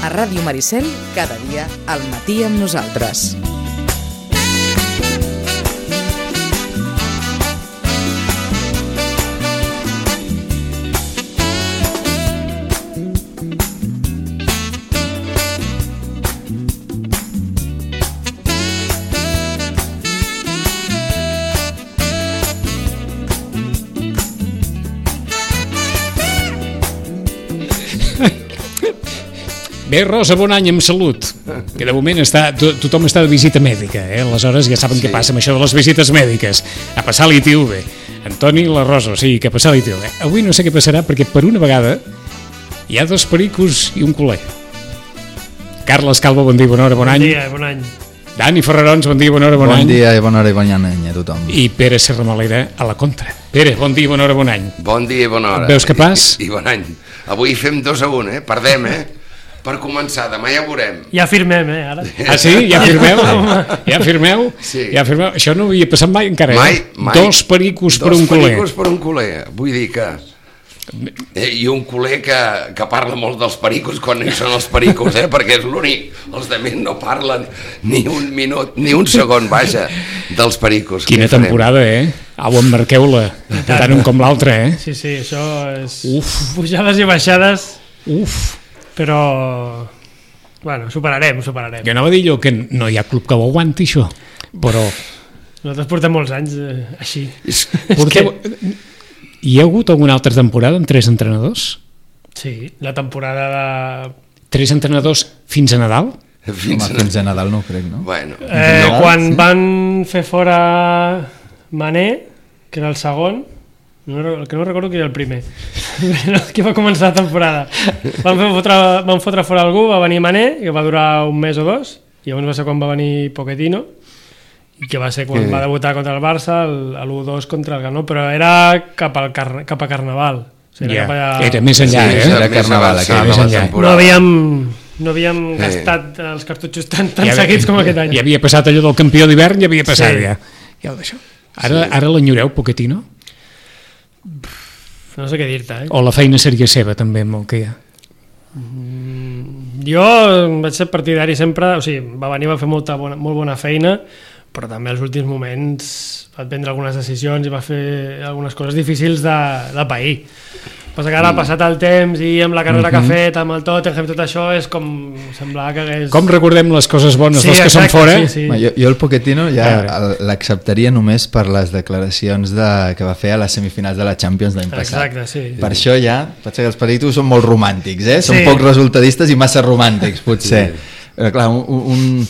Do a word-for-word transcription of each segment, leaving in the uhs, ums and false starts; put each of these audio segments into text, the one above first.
A Ràdio Maricel, cada dia al matí amb nosaltres. Bé, Rosa, bon any amb salut, que de moment està, to, tothom està de visita mèdica, eh? Aleshores ja saben sí. Què passa amb això de les visites mèdiques. A passar l'I T V. Antoni i la Rosa, sí, que a passar l'I T V. Avui no sé què passarà perquè per una vegada hi ha dos pericos i un culer. Carles Calvo, bon dia, bona hora, bon, bon any. Bon dia, bon any. Dani Ferrarons, bon dia, bona hora, bon, bon any. Bon dia i bona hora i bon any a tothom. I Pere Serramalera a la contra. Pere, bon dia, bona hora, bon any. Bon dia i bona hora. Et veus capaç? I, i bon any. Avui fem dos a un, eh? Perdem, eh? Per començar, demà ja ho veurem. Ja firmem, eh, ara. Ah, sí? Ja firmeu? Ja firmeu? Sí. Ja firmeu? Això no havia passat mai encara, mai, eh? Mai. Dos pericos per un culer. Dos pericos per un culer. Vull dir que... Eh, I un culer que, que parla molt dels pericos quan hi són els pericos, eh? Perquè és l'únic. Els altres no parlen ni un minut, ni un segon, vaja, dels pericos. Quina temporada, eh? Au, emmarqueu-la, tant un com l'altre, eh? Sí, sí, això és... Uf. Pujades i baixades. Uf. Però, bueno, superarem, superarem. Jo anava a dir jo que no hi ha club que ho aguanti, això, però... Nosaltres portem molts anys eh, així. Porteu... que... Hi ha hagut alguna altra temporada amb tres entrenadors? Sí, la temporada de... Tres entrenadors fins a Nadal? Fins, Home, fins a Nadal no ho crec, no? Bueno, Eh, no. quan sí. van fer fora Mané, que era el segon, no, el que no recordo que era el primer, que va començar la temporada. Van, fer fotre, van fotre fora algú, va venir Mané, que va durar un mes o dos, i llavors va ser quan va venir Pochettino, i que va ser quan que... va debutar contra el Barça, l'u dos contra el Ganó, però era cap, al car cap a Carnaval. O sigui, Ja, era, cap allà... era més enllà, Sí, eh? Era Carnaval, més aquell, avançat més de la enllà. No temporada. havíem, no havíem Sí. gastat els cartutxos tan, tan Ja seguits com aquest any. Ja havia passat allò del campió d'hivern, ja havia passat, Sí. ja. Ja ho deixo. Ara, sí. Ara l'enyoreu, Pochettino? No sé què dir-te, eh? O la feina seria seva, també, amb el que hi ha? Jo vaig ser partidari sempre, o sigui, va venir, va fer molta bona, molt bona feina, però també als últims moments va prendre algunes decisions i va fer algunes coses difícils de, de pair. Passa que ara ha passat el temps i amb la carrera que ha fet, amb el Tottenham, tot això és com... semblava que hagués... Com recordem les coses bones Sí, dels que exacte, són fora? sí, sí. Home, jo, jo el Pochettino ja A l'acceptaria només per les declaracions de, que va fer a les semifinals de la Champions l'any passat. Exacte, sí. Per això ja, potser que els peritos són molt romàntics, eh? Són Sí. poc resultadistes i massa romàntics, potser. Sí. Però clar, un, un,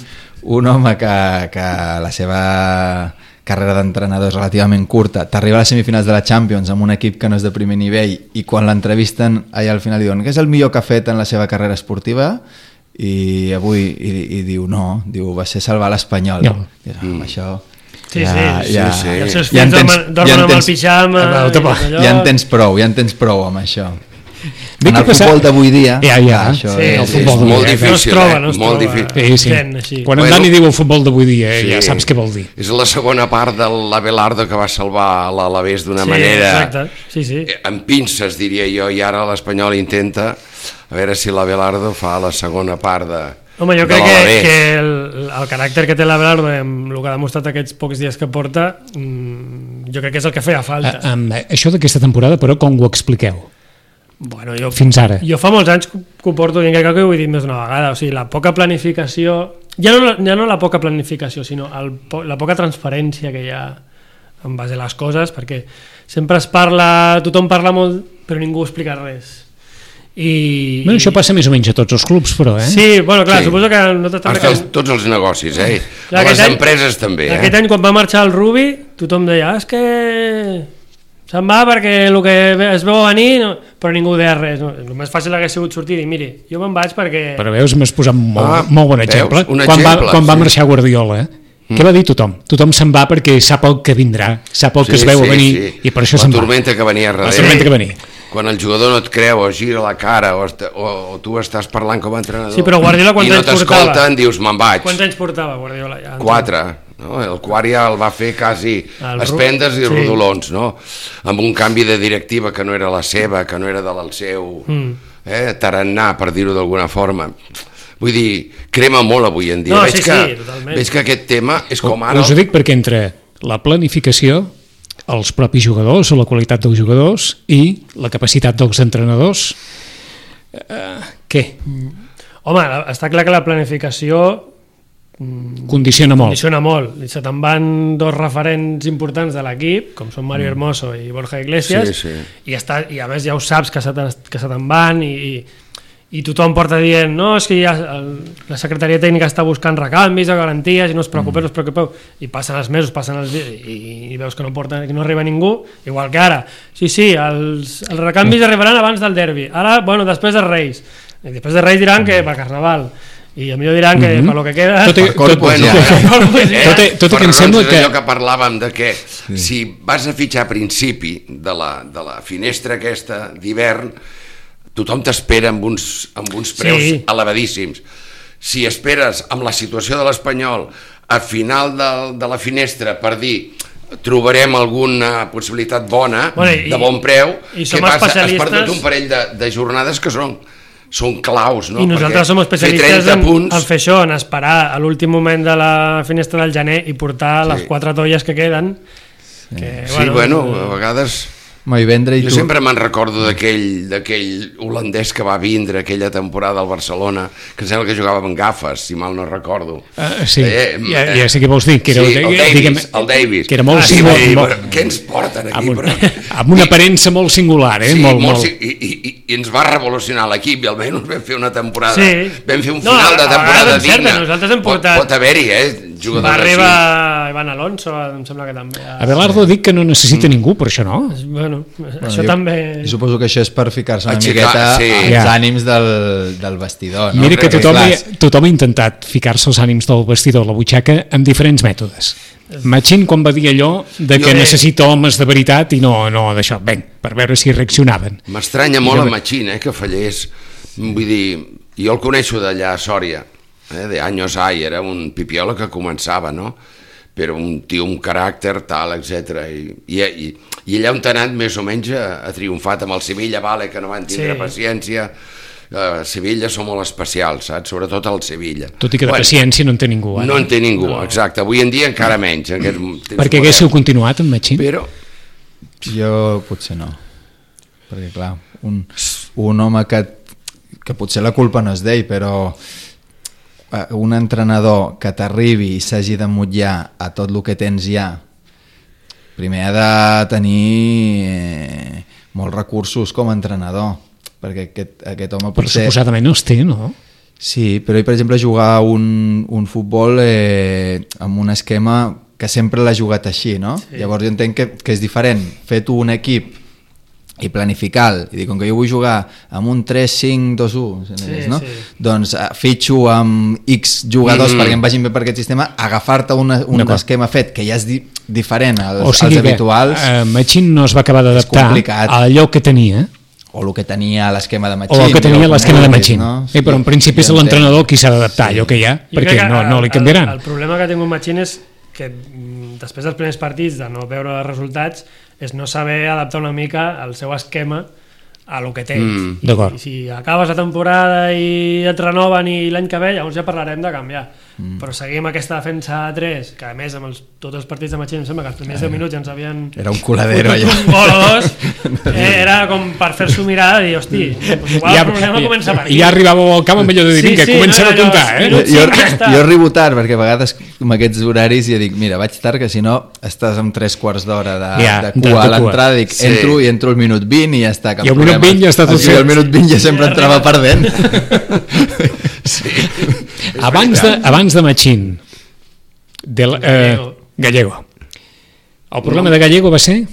un home que, que la seva carrera d'entrenador és relativament curta, t'arriba a les semifinals de la Champions amb un equip que no és de primer nivell i quan l'entrevisten allà al final diuen que és el millor que ha fet en la seva carrera esportiva i avui i, i diu no, diu va ser salvar l'Espanyol. No. I, mm. això... Sí, ja, sí, ja, sí, sí. I els seus ja fills en tens- dormen, dormen ja en amb el tens- pijama Ah, i toma. tot allò. ja en tens prou, ja en tens prou amb això. Bé, En què el passa- futbol d'avui dia Ja, ja. això Sí, és, el És futbol molt d'avui dia, no es difícil, troba, eh? no es molt troba. difícil. Sí, sí. Sent així. Quan en Bueno, Dani diu el futbol d'avui dia, eh, Sí. ja saps què vol dir. És la segona part de l'Abelardo que va salvar l'Alavés d'una Sí, manera exacte, sí, sí. eh, amb pinces, diria jo, i ara l'Espanyol intenta a veure si l'Abelardo fa la segona part de, Home, jo de crec que, l'Alavés. que el, el caràcter que té l'Abelardo amb el que ha demostrat aquests pocs dies que porta, mmm, jo crec que és el que feia falta. A, amb això d'aquesta temporada, però, com ho expliqueu? Bueno, jo, Fins ara. jo fa molts anys que ho porto dient, crec que ho he dit més d'una vegada, o sigui, la poca planificació, ja no, ja no la poca planificació, sinó el, po- la poca transparència que hi ha en base a les coses, perquè sempre es parla, tothom parla molt, però ningú explica res. I, Bueno, això passa més o menys a tots els clubs, però, eh? Sí, bueno, clar, Sí. suposo que nosaltres també... Hasta els, tots els negocis, eh? Clar, A les aquest any- empreses també, eh? Aquest any quan va marxar el Rubi, tothom deia, ah, és que se'n va perquè el que es veu a venir, no... però ningú deia res. No? El més fàcil hagués sigut sortir i dir, miri, jo me'n vaig perquè... Però veus, m'has posat molt, Ah, molt bon veus? exemple. Un quan exemple, va, quan va sí. marxar Guardiola, eh? Mm. Què va dir tothom? Tothom se'n va perquè sap el que vindrà, sap el que es veu a venir, i per això se'n va. La tormenta que venia a La darrere. tormenta que venia. Quan el jugador no et creu o gira la cara o, est o, o tu estàs parlant com a entrenador Sí, però Guardiola quants i no anys portava? t'escolten, dius me'n vaig. Quants anys portava Guardiola? Ja, Quatre. No? El quart ja el va fer quasi El espendes i sí. rodolons, no? Amb un canvi de directiva que no era la seva, que no era del seu... Mm. eh, tarannà, per dir-ho d'alguna forma. Vull dir, crema molt avui en dia. No, veig, sí, que, sí, totalment. veig que aquest tema és com ara... Us ho dic perquè entre la planificació, els propis jugadors o la qualitat dels jugadors i la capacitat dels entrenadors, eh, què? Home, està clar que la planificació Condiciona molt. condiciona molt. I se te'n van dos referents importants de l'equip, com són Mario Hermoso i Borja Iglesias, Sí, sí. I, està, i a més ja ho saps que se te- que se te'n van i, i, i tothom porta dient no, és que ja el, la secretaria tècnica està buscant recanvis o garanties i no us preocupeu, no us preocupeu, i passen els mesos, passen els dies i, i veus que no, porta, que no arriba ningú, igual que ara sí, sí, els, els recanvis arribaran abans del derbi, ara, bueno, després dels Reis i després dels Reis diran que per Carnaval i a millor diran que per lo que queda Tot i- Per Corpus, Bueno, ja. eh, Tot i- tot i que em per sembla raons que- d'allò que parlàvem de que sí. si vas a fitxar a principi de la, de la finestra aquesta d'hivern, tothom t'espera amb uns, amb uns preus Sí. elevadíssims. Si esperes amb la situació de l'Espanyol a final de, de la finestra per dir trobarem alguna possibilitat bona, Bueno, i- de bon preu, i què som passa? Has especialistes- perdut un parell de, de jornades que són són claus, no? I nosaltres Perquè som especialistes fer en, punts, en fer això, en esperar a l'últim moment de la finestra del gener i portar Sí. les quatre tolles que queden. Que, Sí, bueno, a vegades... Home, i vendre i Jo tu... sempre me'n recordo d'aquell d'aquell holandès que va vindre aquella temporada al Barcelona, que em sembla que jugava amb gafes, si mal no recordo. Uh, sí, Eh, ja, eh, ja sé què vols dir. Que era, sí, el Davis, diguem, el Davis. Que era molt Ah, sí, singular. vull dir, molt- però què ens porten aquí? amb, un, Però... amb una aparença molt singular, eh? Sí, molt, molt, molt... sí, i, i, i, i ens va revolucionar l'equip i almenys vam fer una temporada, Sí. vam fer un No, final a- de a temporada vegades és cert, digna. nosaltres hem Pot, portat- pot haver-hi, eh? Jugadors Va així. arribar Ivan Alonso, em sembla que també. Abelardo ha dit que no necessita ningú per això, no? Bueno, Bueno, això jo, també... I suposo que això és per ficar-se una Aixecar, miqueta sí. als Ja. ànims del, del vestidor. No? Mira que Perquè, tothom, clar, ha, tothom ha intentat ficar-se els ànims del vestidor a la butxaca amb diferents mètodes. Machín quan va dir allò de que Jo- necessita homes de veritat i no, no d'això, ben, per veure si reaccionaven. M'estranya molt a Machín, eh, que fallés. Vull dir, jo el coneixo d'allà a Sòria, eh, de anys ai, era un pipiola que començava, no? Però un tio, un caràcter, tal, etcètera. I, i, i, I allà on t'ha anat més o menys ha, ha triomfat amb el Sevilla, vale, que no van tindre Sí. paciència. Uh, Sevilla són molt especials, saps? Sobretot el Sevilla. Tot i que de paciència no en té ningú. Eh? No en té ningú, exacte. Avui en dia encara menys. En aquest temps Perquè moderns. haguéssiu continuat amb Machín? Però Jo potser no. Perquè clar, un, un home que, que potser la culpa no és d'ell, però eh, un entrenador que t'arribi i s'hagi de mutllar a tot el que tens ja, primer ha de tenir eh, molts recursos com a entrenador, perquè aquest, aquest home Però potser... suposadament els té, no? Sí, però ell, per exemple, jugar un, un futbol eh, amb un esquema que sempre l'ha jugat així, no? Sí. Llavors jo entenc que, que és diferent fer tu un equip i planificar, i dir, com que jo vull jugar amb un tres cinc dos u, Sí, no? sí. Doncs eh, fitxo amb X jugadors Mm. perquè em vagin bé per aquest sistema, agafar-te una, un D'acord. esquema fet que ja és di diferent als, O sigui als que habituals, eh, Machín no es va acabar d'adaptar complicat. a allò que tenia, o el que tenia l'esquema de Machín. o el que tenia o com l'esquema de vulguis, Machín. no? Eh, però en principi és jo entenc. l'entrenador qui s'ha d'adaptar a allò que hi ha, Jo perquè crec que no, no li el- canviaran. El, el problema que ha tingut Machín és que mm, després dels primers partits de no veure els resultats és no saber adaptar una mica el seu esquema a lo que tens. Mm, I, d'acord. I si acabes la temporada i et renoven i l'any que ve, llavors ja parlarem de canviar. Mm. Però seguim aquesta defensa a tres, que a més amb els, tots els partits de Machín em sembla que els primers deu minuts ja ens havien Era un coladero fotut allà. un gol o dos, eh, era com per fer-s'ho mirar i dir, hosti, doncs igual Ja, el problema comença per aquí. ja arribàveu al camp amb allò de dir, Sí, vinga, sí, comencem no, a allò, comptar, eh? minuts jo, cinc, ja està. jo arribo tard perquè a vegades amb aquests horaris ja dic, mira, vaig tard que si no estàs amb tres quarts d'hora de, Ja, de de- cua de a cua. l'entrada, dic, Sí. entro i entro al minut vint i ja està, cap I al minut problema. vint ja està tot O sigui, fet. al minut vint ja sempre Ja entrava arriba. perdent. sí. Abans de, abans de Machín, de, la- eh, Gallego. Gallego. El problema de Gallego va ser... El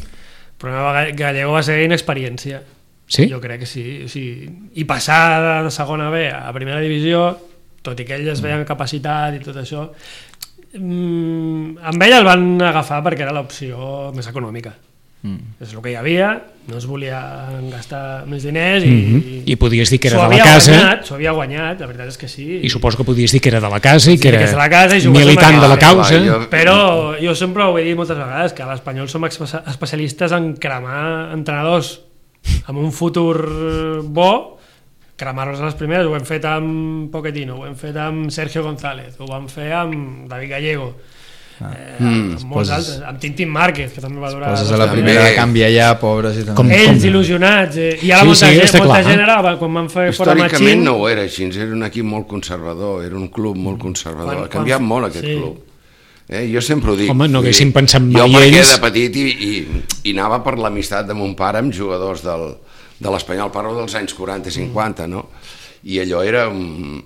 problema de Gallego va ser inexperiència. Sí? Jo crec que sí. O sigui, i passar de segona B a primera divisió, tot i que ells es veien capacitat i tot això, mm, amb ell el van agafar perquè era l'opció més econòmica. Mm. És el que hi havia, no es volia gastar més diners i, Mm -hmm. I podies dir que era s'ho de la havia casa, guanyat, s'ho havia guanyat, la veritat és que sí. i suposo que podies dir que era de la casa i que dir que era és de la casa i jugues amb militant de la aquell. causa. Clar, jo- Però jo sempre ho he dit moltes vegades, que a l'Espanyol som espe- especialistes en cremar entrenadors amb un futur bo cremar-los a les primeres. Ho hem fet amb Pochettino, ho hem fet amb Sergio González, ho vam fer amb David Gallego, ah. eh, mm, amb molts poses, altres, amb Tintín Márquez, que també va durar... Poses a la primera de canviar ja, pobres i com, ells com... il·lusionats, eh, i ara sí, molta, sí, gent, molta clar, gent era, quan van fer fora Machín... Històricament no ho era així, era un equip molt conservador, era un club molt conservador, quan, ha canviat quan... molt aquest sí. club. Eh, jo sempre ho dic. Home, no haguéssim pensat mai jo perquè ells... de petit i, i, i anava per l'amistat de mon pare amb jugadors del, de l'Espanyol, parlo dels anys quaranta cinquanta, no? I allò era un,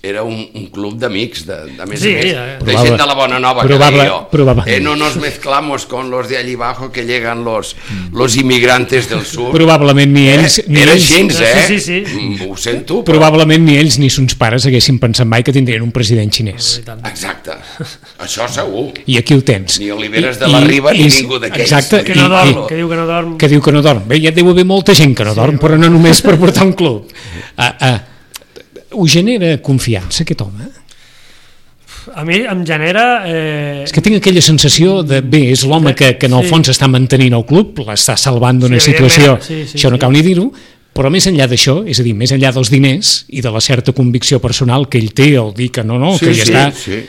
era un, un club d'amics, de, de més sí, a més, eh. de gent de la Bona Nova, probable, que deia jo. Eh, no nos mezclamos con los de allí abajo que llegan los, los inmigrantes del sur. Probablement ni ells... Eh? Ni era ells, gens, eh? Sí, sí, sí. Ho sento, però... Probablement ni ells ni sons pares haguessin pensat mai que tindrien un president xinès. Exacte, això segur. I aquí ho tens. Ni Oliveres de la Riba ni ningú d'aquells. Exacte. Que no dorm, que diu que no dorm. Que diu que no dorm. Bé, ja deu haver molta gent que no dorm, però no només per portar un club. Ah, ah. Us genera confiança aquest home? A mi em genera... Eh... És que tinc aquella sensació de, bé, és l'home que, que en el sí. fons està mantenint el club, l'està salvant d'una sí, situació, sí, sí, això no sí. cal ni dir-ho, però més enllà d'això, és a dir, més enllà dels diners i de la certa convicció personal que ell té, el dir que no, no, sí, que ja sí, està... Sí.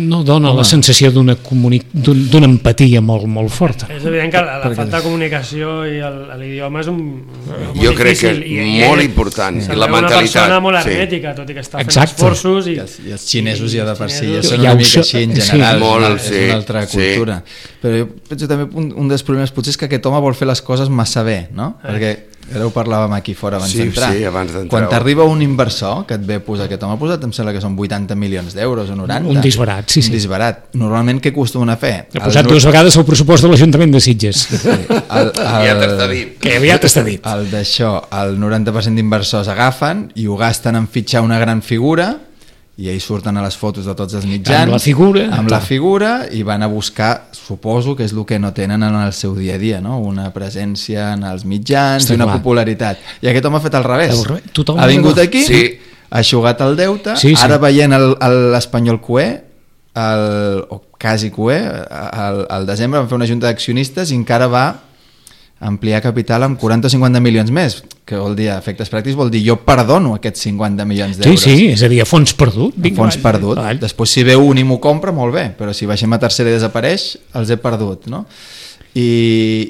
no dona home. La sensació d'una comuni... d'una empatia molt, molt forta. És evident que la, la falta de comunicació i l'idioma és un... Molt jo crec que és i, molt i, important, i la mentalitat. És una persona molt hermètica, sí. tot i que està fent Exacte. esforços. I, I, els, I els xinesos ja de per si ja són una mica així en general, sí. molt, és, una, sí. és una altra cultura. Sí. Però jo penso també un, un dels problemes potser és que aquest home vol fer les coses massa bé, no? Eh. Perquè ara ho parlàvem aquí fora abans sí, d'entrar. Sí, abans d'entrar. Quan t'arriba un inversor que et ve a posar, aquest home ha posat, em sembla que són vuitanta milions d'euros o noranta. Un disbarat, sí, sí. Un disbarat. Normalment què acostumen a fer? Ha posat dues vegades el pressupost de l'Ajuntament de Sitges. Sí, el, el, aviat està dit. Que aviat està dit. El d'això, el noranta per cent d'inversors agafen i ho gasten en fitxar una gran figura i ells surten a les fotos de tots els mitjans amb la figura, amb la figura i van a buscar, suposo que és el que no tenen en el seu dia a dia, no? Una presència en els mitjans Està i una clar. popularitat. I aquest home ha fet al revés. Tothom ha vingut aquí, sí. ha eixugat el deute, sí, sí. ara veient l'Espanyol Q E, el, o quasi Q E, al, al desembre van fer una junta d'accionistes i encara va ampliar capital amb quaranta o cinquanta milions més, que vol dir, a efectes pràctics vol dir jo perdono aquests cinquanta milions d'euros. Sí, sí, és a dir, a fons perdut. A fons perdut. Vall. Després si ve un i m'ho compra, molt bé, però si baixem a tercera i desapareix, els he perdut, no? I,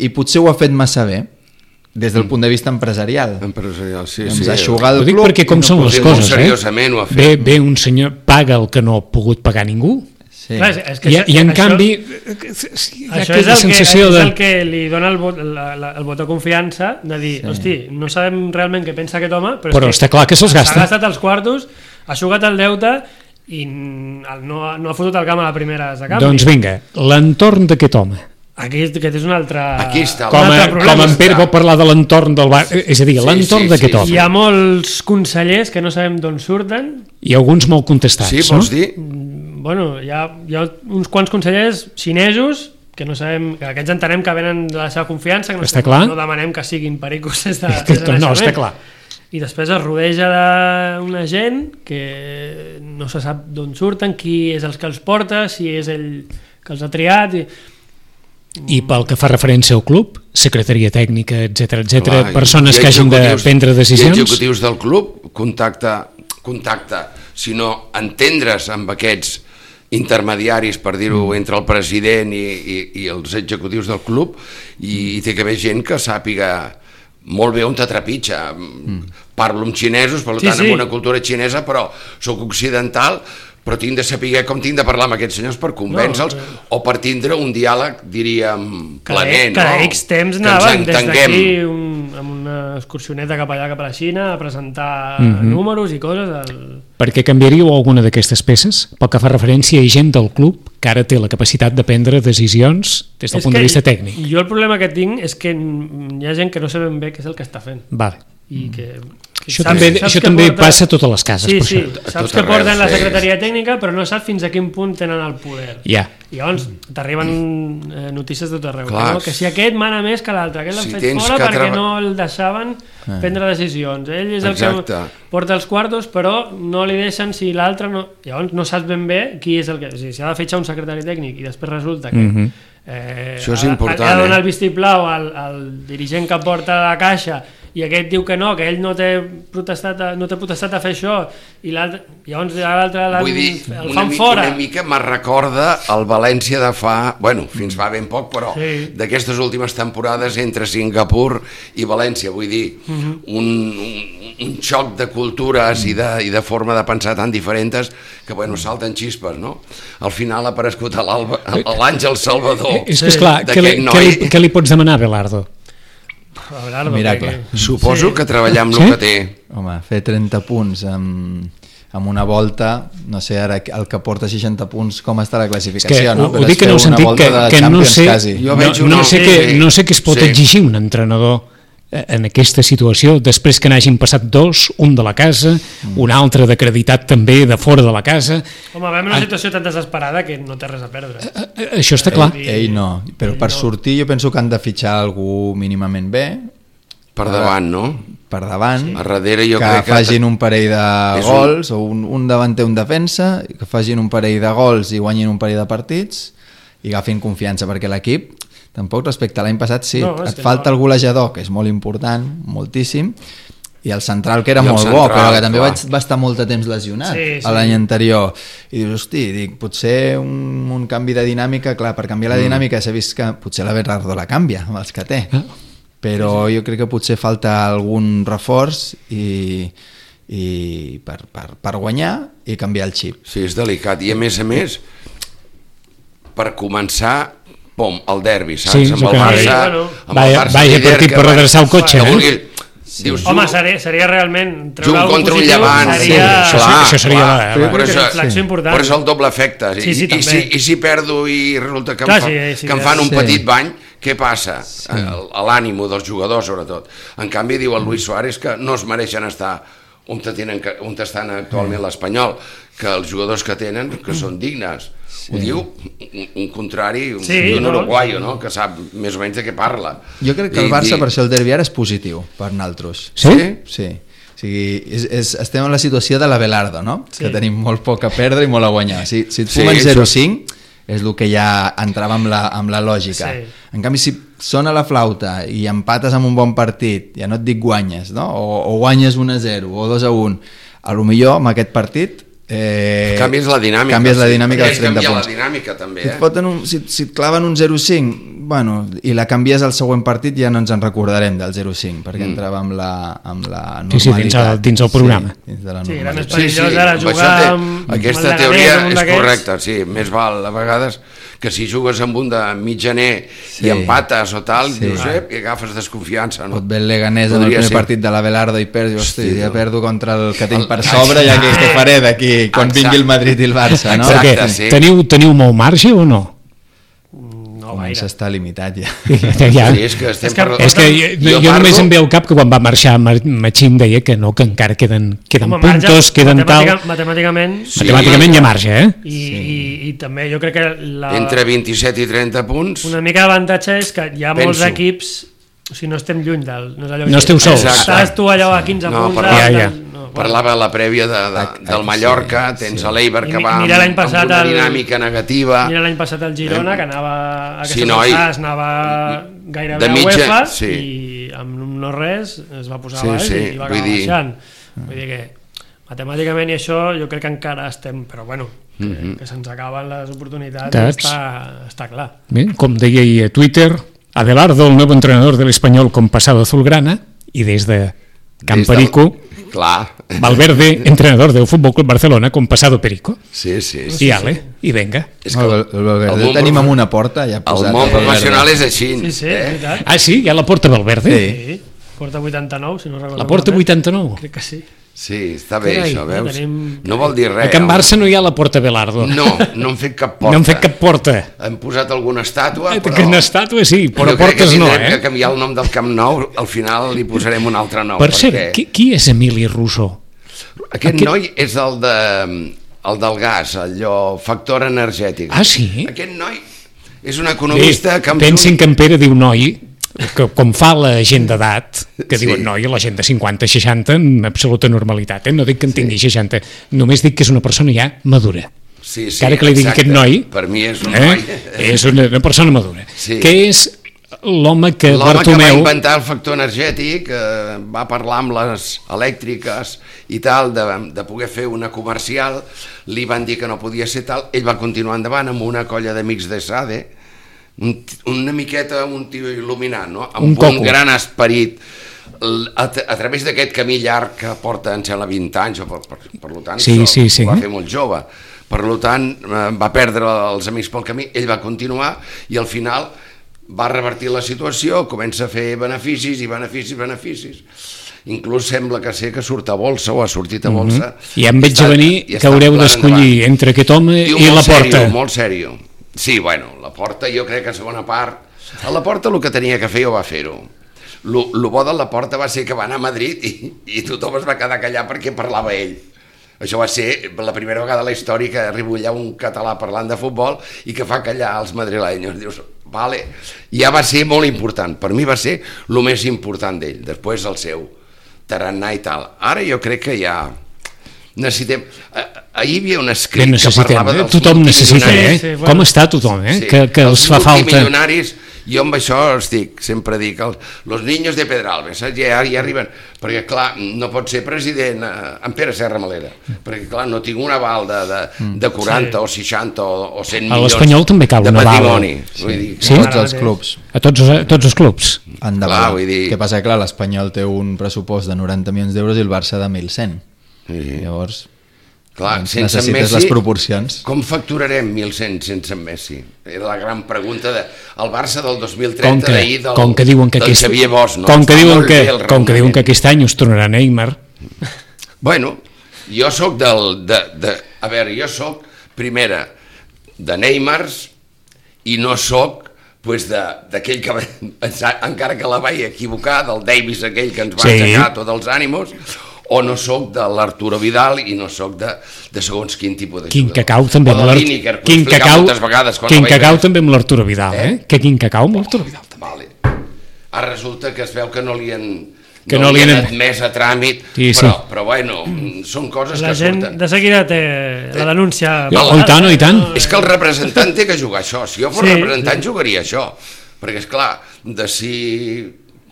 i potser ho ha fet massa bé, des del punt de vista empresarial. Empresarial, sí, Ens sí. ha eixugat el club. Ho dic perquè com no són les coses, eh? Seriosament ho ha fet. Ve, ve un senyor, paga el que no ha pogut pagar ningú, sí. Clar, és que I, això, i en això, canvi això és el, que, de... és el que li dona el vot, la, la, el vot de confiança de dir, sí. hosti, no sabem realment què pensa aquest home, però, però està clar que se'ls gasta, s'ha gastat els quartos, ha jugat el deute i no, no ha fotut el camp a la primera de canvi. Doncs vinga, l'entorn d'aquest home. Aquí, aquest és un altre, Aquí està, com, a, com en Pere pot parlar de l'entorn del bar, és a dir, sí, l'entorn sí, d'aquest sí, home. Hi ha molts consellers que no sabem d'on surten. I alguns molt contestats, sí, vols no? dir? Bueno, hi ha, hi ha uns quants consellers xinesos que no sabem, que aquests entenem que venen de la seva confiança, que no, està no, clar? no demanem que siguin pericos des de, des de no, està clar. I després es rodeja d'una gent que no se sap d'on surten, qui és els que els porta, si és ell que els ha triat. I, I pel que fa referència al club, secretaria tècnica, etcètera, etcètera, Clar, persones que hagin de prendre decisions. I executius del club, contacta, contacta, si no entendre's amb aquests intermediaris, per dir-ho, mm. entre el president i, i, i els executius del club, i, i té que haver gent que sàpiga molt bé on te trepitja. Mm. Parlo amb xinesos, per sí, tant, sí. amb una cultura xinesa, però sóc occidental, però tinc de saber com tinc de parlar amb aquests senyors per convèncer-los, no, o per tindre un diàleg, diríem, planer, no? Cada X temps anaven des d'aquí un, amb una excursioneta cap allà, cap a la Xina, a presentar mm-hmm. números i coses. El... Per què canviaríeu alguna d'aquestes peces? Pel que fa referència a gent del club que ara té la capacitat de prendre decisions des del és punt de vista tècnic. Jo el problema que tinc és que hi ha gent que no sabem bé què és el que està fent. Vale. I que... Això saps, també, això també porta... passa a totes les cases. Sí, per sí, això. saps que porten la secretaria tècnica, però no saps fins a quin punt tenen el poder. Ja. I llavors t'arriben eh, notícies de tot arreu. No? Que si aquest mana més que l'altre, aquest l'han si fet fora perquè tra... no el deixaven ah. prendre decisions. Ell és el Exacte. que porta els quartos, però no li deixen si l'altre no... Llavors no saps ben bé qui és el que... O sigui, si ha de fitxar un secretari tècnic i després resulta que... Mm-hmm. Eh, això és important, ha de donar eh? el vistiplau al, al dirigent que porta la caixa i aquest diu que no, que ell no té protestat a, no té protestat a fer això, i l'altre, llavors l'altre Vull dir, el una, fan mi, fora. una mica me recorda el València de fa, bueno, fins fa ben poc, però Sí. d'aquestes últimes temporades entre Singapur i València, vull dir, Mhm. un, un, un xoc de cultures i de, i de forma de pensar tan diferents que, bueno, salten xispes, no? Al final ha aparegut a l'Alba- a l'Àngel Salvador És que, esclar, què li, d'aquest què, li, noi. què li pots demanar, Belardo? Abelardo, Miracle. perquè- Suposo Sí. que treballar amb Sí? el que té. Home, fer trenta punts amb, amb una volta, no sé ara el que porta seixanta punts, com està la classificació, És que no? ho, Però ho dic és en fer el una sentit volta que, de que no Champions sé, quasi. Jo no, veig no, una- sé sí, què, sí. no sé què es pot Sí. exigir un entrenador eh, en aquesta situació, després que n'hagin passat dos, un de la casa, Mm. un altre d'acreditat també de fora de la casa. Home, veiem una situació tan desesperada que no té res a perdre. Eh, eh, Això està clar. Ell- Ell no, però Ell per no. sortir jo penso que han de fitxar algú mínimament bé, Per davant, no? per davant, A darrere jo que crec que... facin un parell de és un- gols, o un, un davanter, un defensa, que facin un parell de gols i guanyin un parell de partits i agafin confiança, perquè l'equip, tampoc respecte a l'any passat, sí, No, és et que falta no. el golejador, que és molt important, moltíssim, i el central, que era I el molt bo, central, però que també clar. vaig, va estar molt de temps lesionat Sí, sí. a l'any anterior. I dius, hosti, dic, potser un, un canvi de dinàmica, clar, per canviar la dinàmica s'ha vist que potser la Bernardo la canvia, amb els que té. Però jo crec que potser falta algun reforç i, i per, per, per guanyar i canviar el xip. Sí, és delicat. I a més a més, per començar, pom, el derbi, saps? Sí, amb és el el que Barça, anava a dir. amb Vaya- el Barça vaya líder, partit que per va- redreçar el cotxe, que eh? vulgui- Dius, Home, ju- seria, seria realment treure Junt alguna contra un positiu, Llevant, seria, sí, això, clar, això seria clar. la- la- Per una això- inflexió important. Per això el doble efecte. Sí, sí, I, també. si, I si perdo i resulta que, Clar, em, fa, sí, sí, que em fan un sí. petit bany, què passa? Sí. A l'ànimo dels jugadors, sobretot. En canvi, diu el Luis Suárez que no es mereixen estar on, tenen, on estan actualment l'Espanyol, que els jugadors que tenen, que són dignes. Sí. Ho diu un, un contrari, un, Sí, un no? uruguaio, no? Que sap més o menys de què parla. Jo crec que el I- Barça, i- per això el derbi ara és positiu per naltros. Sí? Sí. O sigui, és, és, estem en la situació de la Belardo, no? Sí. Que tenim molt poc a perdre i molt a guanyar. Si, si et Sí, fumen això- zero coma cinc és el que ja entrava amb la, amb la lògica. Sí. En canvi, si sona la flauta i empates amb un bon partit, ja no et dic guanyes, no? O, o guanyes un a zero o dos a un, a lo millor amb aquest partit eh, Canvies la dinàmica. canvies la sí. dinàmica És dels trenta canviar punts. la dinàmica, també, Si et, eh? foten un, si, si et claven un zero coma cinc, bueno, i la canvies al següent partit, ja no ens en recordarem del zero coma cinc, perquè mm. entrava amb la, amb la normalitat. Sí, sí, dins el- dins el programa. Sí, dins de la Sí, era més normalitat. perillós ara amb jugar això té- amb- aquesta amb el teoria Leganés, amb un és d'aquests. correcta, sí, més val a vegades que si jugues amb un de mitjaner Sí. i empates o tal, Sí. dius, eh, i agafes desconfiança, no? Pot ve el Leganés en el Podria primer ser. partit de la Belardo i perds, i hosti, Hosti, ja no. perdo contra el que tinc El- per sobre, ja que què faré d'aquí quan Exacte. vingui el Madrid i el Barça, no? Exacte. Perquè sí. teniu, teniu molt marge o no? No Comença a gaire. estar limitat ja. Ja, ja. Sí, és que estem És que- parlant- És que jo, jo, Jo només parlo- em ve al cap que quan va marxar Ma- Machín deia que no, que encara queden, queden Home, marge, puntos, queden tal... matemàtica- Matemàticament, Sí. Matemàticament hi ha marge, eh? i, i, i també jo crec que la, Entre vint-i-set i trenta punts, una mica d'avantatge és que hi ha molts Penso. equips, o sigui, no estem lluny del... No, és allò No que- esteu sols. Exacte. Estàs tu allò a quinze No, punts. parlava- del- Ja, ja. no, bueno. parlava a la prèvia de, de, del Mallorca, tens a l'Eiber I que mi- va amb, mira l'any passat amb una el- dinàmica negativa. Mira l'any passat el Girona, que anava a Sí, aquestes noi. alçades, anava gairebé De a mitja, UEFA sí. i amb un no res es va posar Sí, a baix sí, i va vull acabar dir- baixant. Vull dir que matemàticament i això jo crec que encara estem, però bueno, que, Mhm. que se'ns acaben les oportunitats Tats. està, està clar. Bé, com deia ahir a Twitter, Abelardo, el nuevo entrenador del Español con pasado azulgrana, y desde Camperico, Des del- Clar. Valverde, entrenador del Fútbol Club Barcelona con pasado perico. Sí, sí. sí. I ale, i venga. És No, el, el Valverde el el món tenim profe- amb una porta ja El posat. món el Valverde. professional és així. Sí, sí, és eh? veritat. Ah, sí, hi ha la porta Valverde? Sí. Sí, porta vuitanta-nou, si no recordo La porta malament. vuitanta-nou. Crec que sí. Sí, està bé Carai, això, veus? tenim- No vol dir A res. Can home. Barça no hi ha la porta Belardo. No, no han fet cap porta. No han fet cap porta. Han posat alguna estàtua, Eh, però... Que una estàtua sí, però jo crec que portes no, tindrem que eh? canviar el nom del Camp Nou, al final li posarem un altre nom. Per perquè cert, qui, qui és Emili Rousseau? Aquest aquest- noi és el, de, el del gas, allò, factor energètic. Ah, sí? Aquest noi és un economista Bé, que... amb pensin un- que en Pere diu noi, que com fa la gent d'edat, que Sí. diuen noi, la gent de cinquanta seixanta en absoluta normalitat, eh? No dic que en tingui seixanta, només dic que és una persona ja madura. Sí, sí, que ara que li digui exacte. aquest noi, Per mi és un eh? noi. és una, una persona madura, Sí. que és l'home que L'home que va Bartomeu... inventar el factor energètic, eh, va parlar amb les elèctriques i tal, de, de poder fer una comercial, li van dir que no podia ser tal, ell va continuar endavant amb una colla d'amics de Sade, un, una miqueta un tio il·luminat, no? Amb Un un, coco. un gran esperit, a, a través d'aquest camí llarg que porta, em sembla, vint anys, o per, per, per tant, Sí, això sí, sí. ho va fer molt jove. Per tant, eh, va perdre els amics pel camí, ell va continuar i al final va revertir la situació, comença a fer beneficis i beneficis, beneficis. Inclús sembla que sé que surt a bolsa o ha sortit a bolsa. Mm-hmm. I em veig a venir i que està haureu plan d'escollir endavant. entre aquest home Tio, i molt la Porta. Sèrio, molt sèrio. Sí, bueno, la Porta jo crec que a segona part... A la Porta el que tenia que fer jo va fer-ho. Lo, lo bo de la Porta va ser que va anar a Madrid i, i tothom es va quedar callat perquè parlava ell. Això va ser la primera vegada a la història que arriba allà un català parlant de futbol i que fa callar els madrilenyos. Dius, vale, ja va ser molt important. Per mi va ser el més important d'ell, després el seu tarannà i tal. Ara jo crec que ja necessitem... Ahir hi havia un escrit Bé, que necessitem, parlava eh? dels Tothom necessita, multimilionaris. eh? Sí, sí, bueno. Com està tothom, eh? Sí, Que, que els fa falta... multimilionaris, jo amb això estic, sempre dic, els, los niños de Pedralbes, saps? Ja, ja arriben, perquè clar, no pot ser president eh, en Pere Serra Malera, perquè clar, no tinc un aval de, de, de quaranta Sí. o seixanta o, o cent A milions l'Espanyol també cal de un aval. patrimoni. Vull dir, Sí? Tots els clubs A tots, a tots els clubs. han de Clar, valer. vull dir- Què passa? Clar, l'Espanyol té un pressupost de noranta milions d'euros i el Barça de mil cent. Sí. Llavors, Clar, doncs sense necessites Messi, les proporcions. com facturarem mil cent sense en Messi? Era la gran pregunta de el Barça del dos mil Com trenta que, d'ahir del, com que diuen que del aquest, Xavier Bosch, no? com que Està diuen molt que, bé el com que diuen que raonament. aquest any us tornarà Neymar. Bueno, jo sóc del... De, de, a veure, jo sóc, primera, de Neymars i no sóc pues, d'aquell que, va- encara que la vaig equivocar, del Davis aquell que ens va Sí. aixecar tots els ànimos, o no sóc de l'Arturo Vidal i no sóc de, de segons quin tipus de Quin jugador. cacau també o amb de l'Art- Lineker, que ho he Quin explicat cacau, moltes vegades. quan quin la vaig cacau veure. també amb l'Arturo Vidal, eh? Eh? Que quin cacau amb l'Arturo Vidal. Vale. Ara resulta que es veu que no li han, Que no no li li han han- admès a tràmit, Sí, sí. però, però bueno, són coses La que gent surten. de seguida té la denúncia... No, oh, i tant, oh, i tant. És que el representant té que jugar això. Si jo fos Sí, representant jugaria això. Perquè, és clar, de si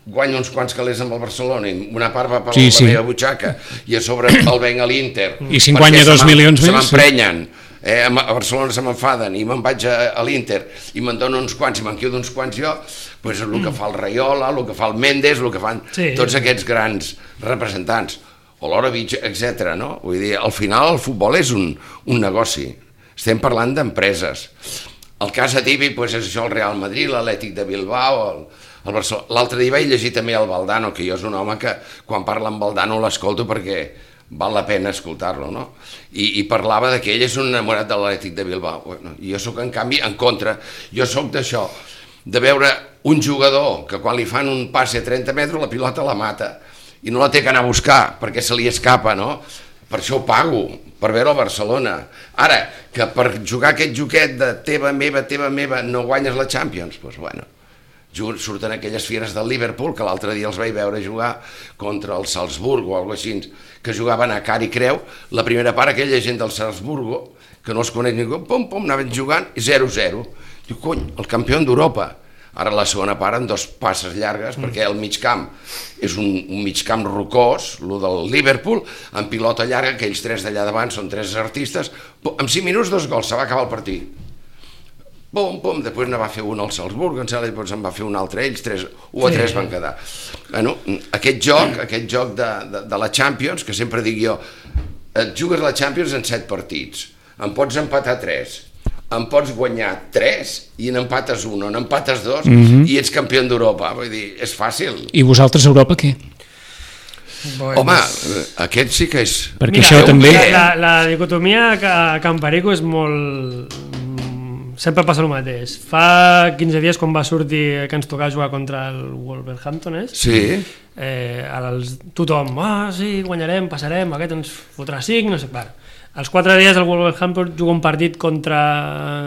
guanyo uns quants calés amb el Barcelona i una part va per Sí, la sí. meva butxaca i a sobre el venc a l'Inter. I si en perquè guanya se dos m'en- milions Se més, m'emprenyen. Eh, a Barcelona se m'enfaden i me'n vaig a, a l'Inter i me'n dono uns quants i me'n quedo uns quants jo, doncs és el que fa el Raiola, el que fa el Mendes, el que fan Sí. tots aquests grans representants, o l'Orovich, etcètera. No? Vull dir, al final el futbol és un, un negoci. Estem parlant d'empreses. El cas atípic doncs, és això, el Real Madrid, l'Atlètic de Bilbao, el, el Barcelona. L'altre dia vaig llegir també el Valdano, que jo és un home que quan parla amb Valdano l'escolto perquè val la pena escoltar-lo, no? I, i parlava de que ell és un enamorat de l'Atlètic de Bilbao. Bueno, i jo sóc, en canvi, en contra. Jo sóc d'això, de veure un jugador que quan li fan un passe a trenta metres la pilota la mata i no la té que anar a buscar perquè se li escapa, no? Per això ho pago, per veure el Barcelona. Ara, que per jugar aquest joquet de teva, meva, teva, meva, no guanyes la Champions, doncs bueno, surten aquelles fires del Liverpool, que l'altre dia els vaig veure jugar contra el Salzburgo o alguna cosa així, que jugaven a car i creu, la primera part aquella gent del Salzburgo, que no els coneix ningú, pum, pum, anaven jugant i zero zero. Diu, cony, el campió d'Europa. Ara la segona part en dos passes llargues, mm. perquè el mig camp és un, un mig camp rocós, el del Liverpool, en pilota llarga, aquells tres d'allà davant són tres artistes, pum, en cinc minuts dos gols, se va acabar el partit. Pum, pum, després ne va fer un al Salzburg, en sala, després en va fer un altre, ells tres, un a tres van quedar. Bueno, aquest joc, aquest joc de, de, de la Champions, que sempre dic jo, et jugues la Champions en set partits, en pots empatar tres, en pots guanyar tres i n'empates un o n'empates dos mm-hmm. i ets campió d'Europa. Vull dir, és fàcil. I vosaltres a Europa què? Bueno, Home, aquest sí que és... Perquè Mira, això la, també... La, la dicotomia a Can Perico és molt... Sempre passa el mateix. Fa quinze dies, quan va sortir que ens tocava jugar contra el Wolverhampton, és? Sí. Eh, els, tothom, ah, sí, guanyarem, passarem, aquest ens fotrà cinc, no sé, bueno. Als quatre dies el Wolverhampton juga un partit contra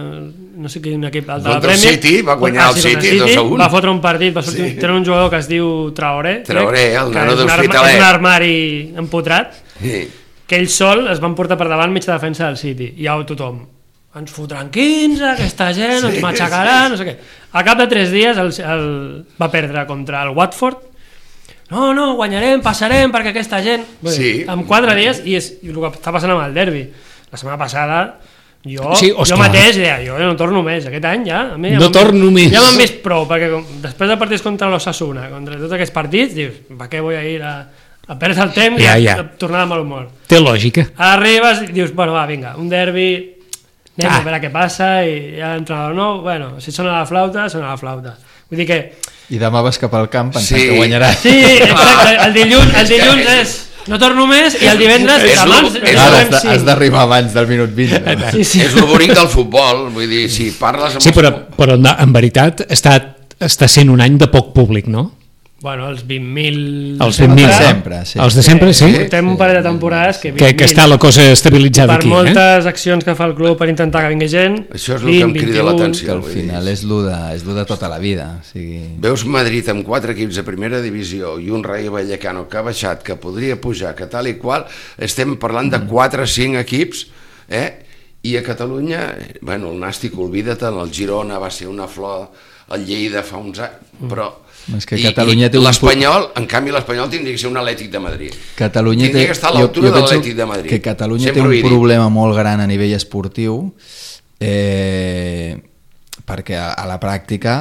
no sé quin equip de la Contra el Premier. City, va guanyar Ah, el sí, contra City dos a un. Va fotre un partit, va sortir, Sí. tenen un jugador que es diu Traoré, Traoré, crec, el que nano és un arma- d'Hospitalet. és un armari empotrat, Sí. que ell sol es van portar per davant mitja defensa del City, i ja tothom, ens fotran quinze, aquesta gent, sí, ens matxacarà, sí. no sé què. Al cap de tres dies el, el, va perdre contra el Watford. No, no, guanyarem, passarem, perquè aquesta gent... Bé, sí. En quatre dies, i, és, i el que està passant amb el derbi. La setmana passada, jo, sí, jo mateix deia, jo no torno més, aquest any ja... A mi, ja no torno més. Ja m'han vist prou, perquè com, després de partits contra l'Osasuna, contra tots aquests partits, dius, per què vull ir a, a perdre el temps ja, i a, ja. a tornar de mal humor? Té lògica. Arribes i dius, bueno, va, vinga, un derbi... anem ah. a veure què passa i ja l'entrenador no, bueno, si sona la flauta, sona la flauta. Vull dir que... I demà vas cap al camp pensant sí. que guanyaràs. Sí, exacte, el dilluns, el dilluns és... No torno més i el divendres... És abans, és Ara has, has d'arribar abans del minut vint. No? Sí, sí. És el bonic del futbol, vull dir, si parles amb... Sí, però, però en veritat està, està sent un any de poc públic, no? Bueno, els vint mil... Els vint mil, sempre, sí. Els de sempre, sí? Portem un parell de temporades que... Que, que està la cosa estabilitzada per aquí, eh? Per moltes accions que fa el club per intentar que vingui gent... Això és el que em crida l'atenció. Al final és lo, de, és lo de tota la vida. O sigui... Veus Madrid amb quatre equips de primera divisió i un Rayo Vallecano que ha baixat, que podria pujar, que tal i qual, estem parlant de quatre o cinc equips, eh? I a Catalunya, bueno, el Nàstic, oblida-te'n, el Girona va ser una flor, el Lleida fa uns anys, però... És que Catalunya té un... l'Espanyol, en canvi l'Espanyol tindria que ser un Atlètic de Madrid. Catalunya tindria té... que estar a l'altura de l'Atlètic de Madrid. Que Catalunya Sempre té un problema molt gran a nivell esportiu, eh, perquè a, a la pràctica